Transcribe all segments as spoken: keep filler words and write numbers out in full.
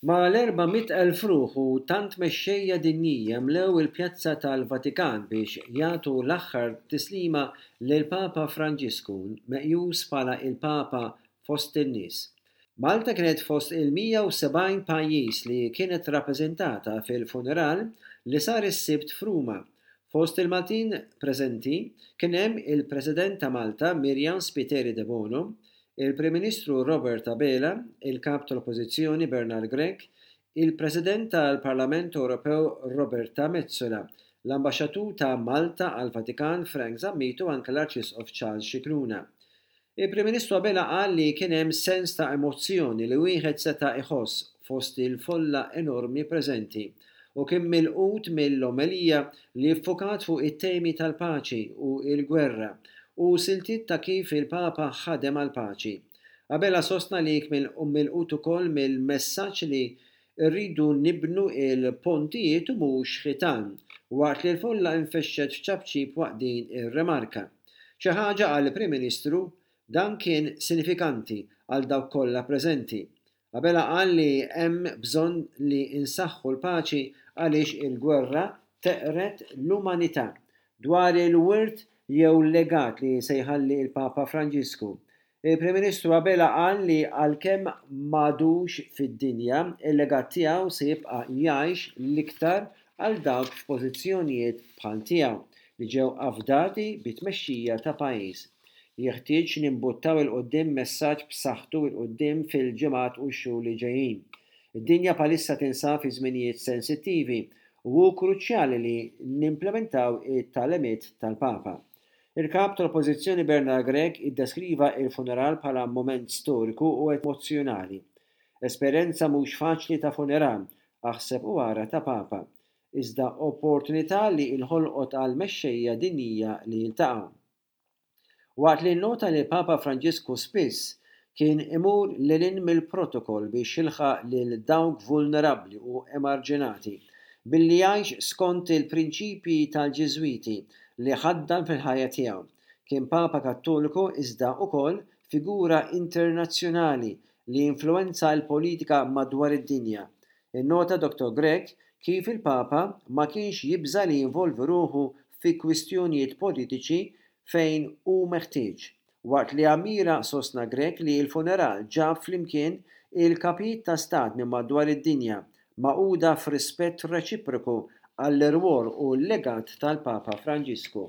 Mal-erba' mitt elf ruħ u tant mexxejja dinjija mlew il-Pjazza tal-Vatikan biex jagħtu l-aħħar tislima lill-Papa Franġisku, meqjus bħala il-Papa fost in-nies. Malta kienet fost il-mija u sebgħin pajjiż li kienet rappreżentata fil-funeral li sar is-Sibt f'Ruma. Fost il-Maltin preżenti kien hemm il-President ta' Malta Myriam Spiteri Debono, il-Prim Ministru Robert Abela, il-Kap tal-Oppożizzjoni Bernard Grech, il-President tal-Parlament Ewropew Roberta Metsola, l-Ambaxxatur ta' Malta għall-Vatikan Frank Zammit u anke l-Arċisqof Charles Scicluna. Il-Prim Ministru Abela qal li kien hemm sens ta' emozzjoni li wieħed seta' iħoss fost il-folla enormi preżenti u kien milqut mill-omelija li ffukat fuq it-temi tal-paċi u l-gwerra u siltiet ta' kif il-Papa ħadem għall-paċi. Abela sostna li kien milqut ukoll mill-messaġġ li rridu nibnu il-pontijiet u mhux ħitan, waqt li l-folla infexxet f'ċapċip waqt din ir-remarka. Xi ħaġa għall Prim Ministru dan kien sinifikanti għal dawk kollha preżenti. Abela qal li hemm bżonn li insaħħu l-paċi għaliex il-gwerra teqred l-umanità. Dwar il-wirt jew legat li se jħalli il-Papa Franġisku, il-Prim Ministru Abela qal li għalkemm m'għadux fid-dinja, il-legat tiegħu se jibqa' jgħix l-iktar għal dawk f'pożizzjonijiet bħal tiegħu li ġew afdati bit-tmexxija ta' pajjiż. Jeħtieġ nimbuttaw 'il quddiem messaġġ b'saħħtu 'l quddiem fil-ġimgħat u x-xhur li ġejjin. Id-dinja bħalissa tinsab fi żminijiet sensittivi u hu kruċjali li nimplementaw it-tagħlimiet tal-Papa. Il-kap tal-Oppożizzjoni Bernard Grech iddeskriva il-funeral bħala moment storiku u emozzjonali. Esperjenza mhux faċli ta' funeral, aħseb u ara ta' Papa, iżda opportunità li inħolqot għal mexxejja dinjija li jiltaqgħu. Waqt li nnota li Papa Franġisku spiss kien imur lil hinn mill-protokoll biex jilħaq lil dawk vulnerabbli u emarġinati, billi jgħix skont il-prinċipji tal-Ġiżwiti li ħaddan fil-ħajja tiegħu. Kien Papa Kattoliku iżda wkoll figura internazzjonali li influwenza l-politika madwar id-dinja. Innota Doktor Grech kif il-Papa ma kienx jibża' li jinvolvi ruħu fi kwistjonijiet politiċi fejn hu meħtieġ. Waqt li ammira, sostna Grech, li l-funeral ġab flimkien il-kapijiet ta' stat minn madwar id-dinja magħquda f'rispett reċiproku għall-irwol u l-legat tal-Papa Franġisku.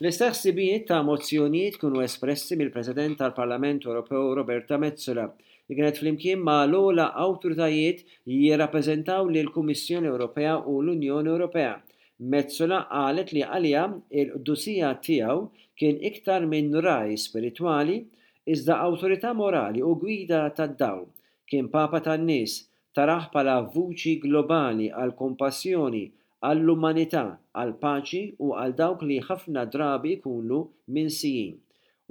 L-istess ħsibijiet ta' emozzjonijiet kienu espressi mill-President tal-Parlament Ewropew Roberta Metsola, li kienet flimkien ma' l-ogħla awtoritajiet jirrappreżentaw lill-Kummissjoni Ewropea u l-Unjoni Ewropea. Metsola qalet li għaliha il-qdusija tiegħu kien iktar minn ragħaj spiritwali, iżda awtorità morali u gwida tad-dawl. Kien Papa tan-nies, tarah bħala vuċi globali għal kompassjoni, għall-umanità, għall-paċi u għal dawk li ħafna drabi jkunu minsijin.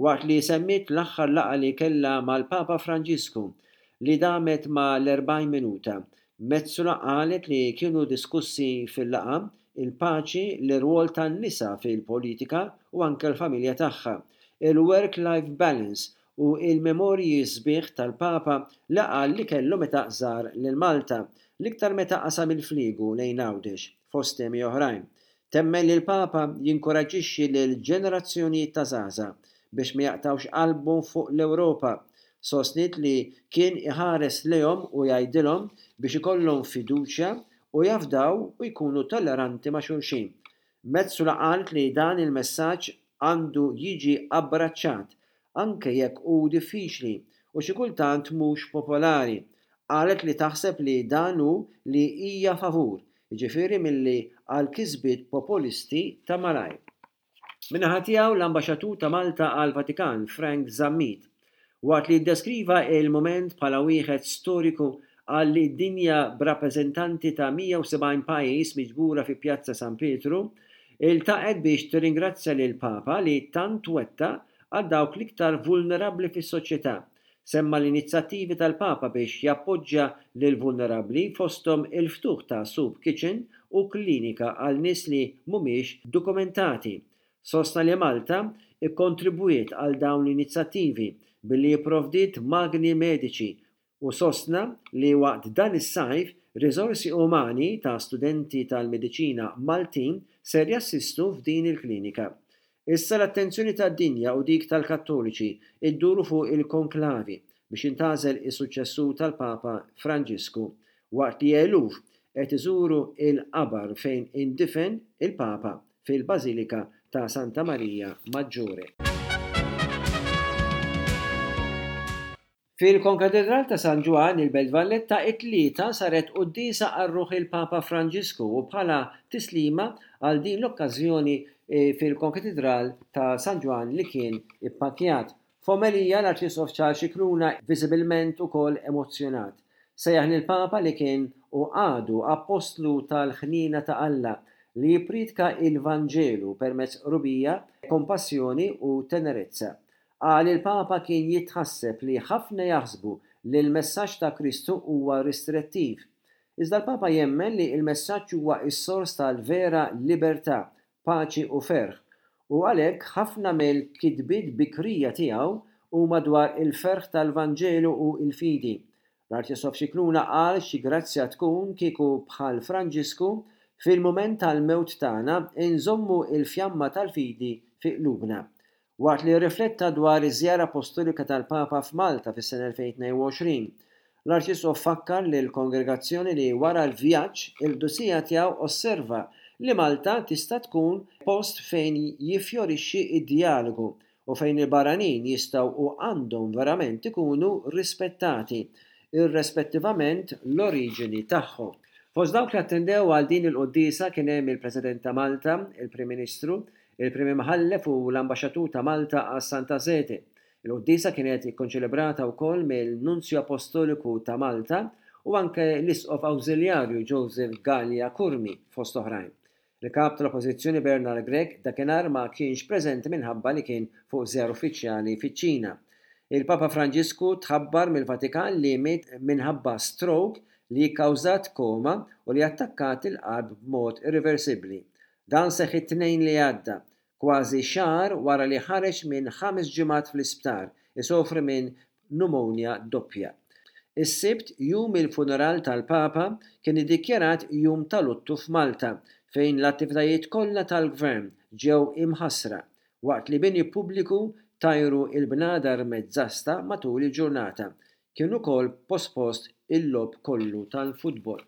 Waqt li semmiet l-aħħar laqgħa li kellha mal-Papa Franġisku li damet ma l-erbgħin minuta, Metsola qalet li kienu diskussi fil-laqgħa il-paċi, l-irwol tan-nisa fil-politika u anke l-familja tagħha, il-work-life balance u il-memorji sbieħ tal-Papa li qal li kellu meta żar lil Malta, l-iktar meta qasam il-fliegu lejn Għawdex, fost temi oħrajn. Temmen li l-Papa jinkoraġġixxi lil ġenerazzjonijiet ta' żgħażagħ biex ma jaqtawx qalbhom fuq l-Ewropa. Sostniet li kien iħares lejhom u jgħidilhom biex ikollhom fiduċja u jafdaw u jkunu tolleranti ma' xulxin. Metsola qalet li dan il-messaġġ għandu jiġi abbraċċat anke jekk hu diffiċli u xi kultant mhux popolari. Qalet li taħseb li dan hu li hija favur, jiġifieri milli għal kisbiet populisti ta' malajr. Min-naħa tiegħu l-Ambaxxatur ta' Malta għall-Vatikan Frank Zammit, waqt li ddeskriva il-moment bħala wieħed storiku, qal li d-dinja b'rappreżentanti ta' mija u sebgħin pajjiż miġbura fi Pjazza San Pietru iltaqgħet biex tirringrazzja lil Papa li tant wetta għal dawk l-iktar vulnerabbli fis-soċjetà. Semma l-inizjattivi tal-Papa biex jappoġġja lil vulnerabbli, fosthom il-ftuħ ta' soup kitchen u klinika għal nies li mhumiex dokumentati. Sostna li Malta ikkontribwiet għal dawn l-inizjattivi billi jipprovdiet magni mediċi U sostna li waqt dan is-sajf riżorsi umani ta' studenti tal-mediċina Maltin ser jassistu f'din il-klinika. Issa l-attenzjoni tad-dinja u dik tal-Kattoliċi idduru fuq il-konklavi biex jintgħażel is-suċċessur tal-Papa Franġisku, waqt li eluf qed iżuru il-qabar fejn indifen il-Papa fil-Bażilika ta' Santa Marija Maggiore. Fil-Konkatedral ta' San Ġwann, il-Belt Valletta, it-Tlieta saret quddiesa għal ruħ il-Papa Franġisku u bħala tislima għal din l-okkażjoni fil-Konkatedral ta' San Ġwann li kien ippakkjat. F'omelija l-Arċisqof Charles Scicluna viżibilment ukoll emozzjonat. Sejjaħ lill-Papa li kien u għadu appostlu tal-ħniena ta' Alla li jippriedka il-Vanġelu permezz qrubija, kompassjoni u tenerezza. Qal il-Papa kien jitħasseb li ħafna jaħsbu li l-messaġġ ta' Kristu huwa ristrettiv. Iżda l-Papa jemmen li l-messaġġ huwa s-sors tal-vera libertà, paċi u ferħ, u għalhekk ħafna mill-kitbiet bikrija tiegħu huma dwar il-ferħ tal-Vanġelu u l-fidi. L-Arċisqof Scicluna qal xi grazzja tkun kieku bħal Franġisku fil-mument tal-mewt tagħna inżommu l-fjamma tal-fidi fi qlubna. Waqt li rrifletta dwar iż-żjara apostolika tal-Papa f'Malta fis-sena elfejn tnejn u għoxrin, l-Arċisqof fakkar lill-kongregazzjoni li wara l-vjaġġ il-qdusija tiegħu osserva li Malta tista' tkun post fejn jiffjorixxi d-djalogu u fejn il-barranin jistgħu u għandhom verament ikunu rispettati, irrispettivament l-oriġini tagħhom. Fost dawk li attendew għal din il-quddiesa kien hemm il-President ta' Malta, il-Prim Ministru, il-Prim Imħallef u l-Ambaxxatur ta' Malta għas-Santa Sede. Il-quddiesa kienet ikkonċelebrata wkoll mill-Nunzju Apostoliku ta' Malta u anke l-Isqof Awżiljarju Joseph Galea Curmi fost oħrajn. Il-kap tal-Oppożizzjoni Bernard Grech dakinhar ma kienx preżenti minħabba li kien fuq żjara uffiċjali fiċ-Ċina. Il-Papa Franġisku tħabbar mill-Vatikan li miet minħabba stroke li kkawżat koma u li attakkat il-qalb b'mod irreversibbli. Dan seħħ it-Tnejn li għadda, kważi xahar wara li ħareġ minn ħames ġimgħat fl-isptar isofri minn pneumonia doppja. Is-Sibt, jum il-funeral tal-Papa, kien iddikjarat jum ta' luttu f'Malta, fejn l-attivitajiet kollha tal-gvern ġew imħassra, waqt li bini pubbliku tajru il-bnadar mezzasta matul il-ġurnata. Kien ukoll pospost il-logħob kollu tal-futbol.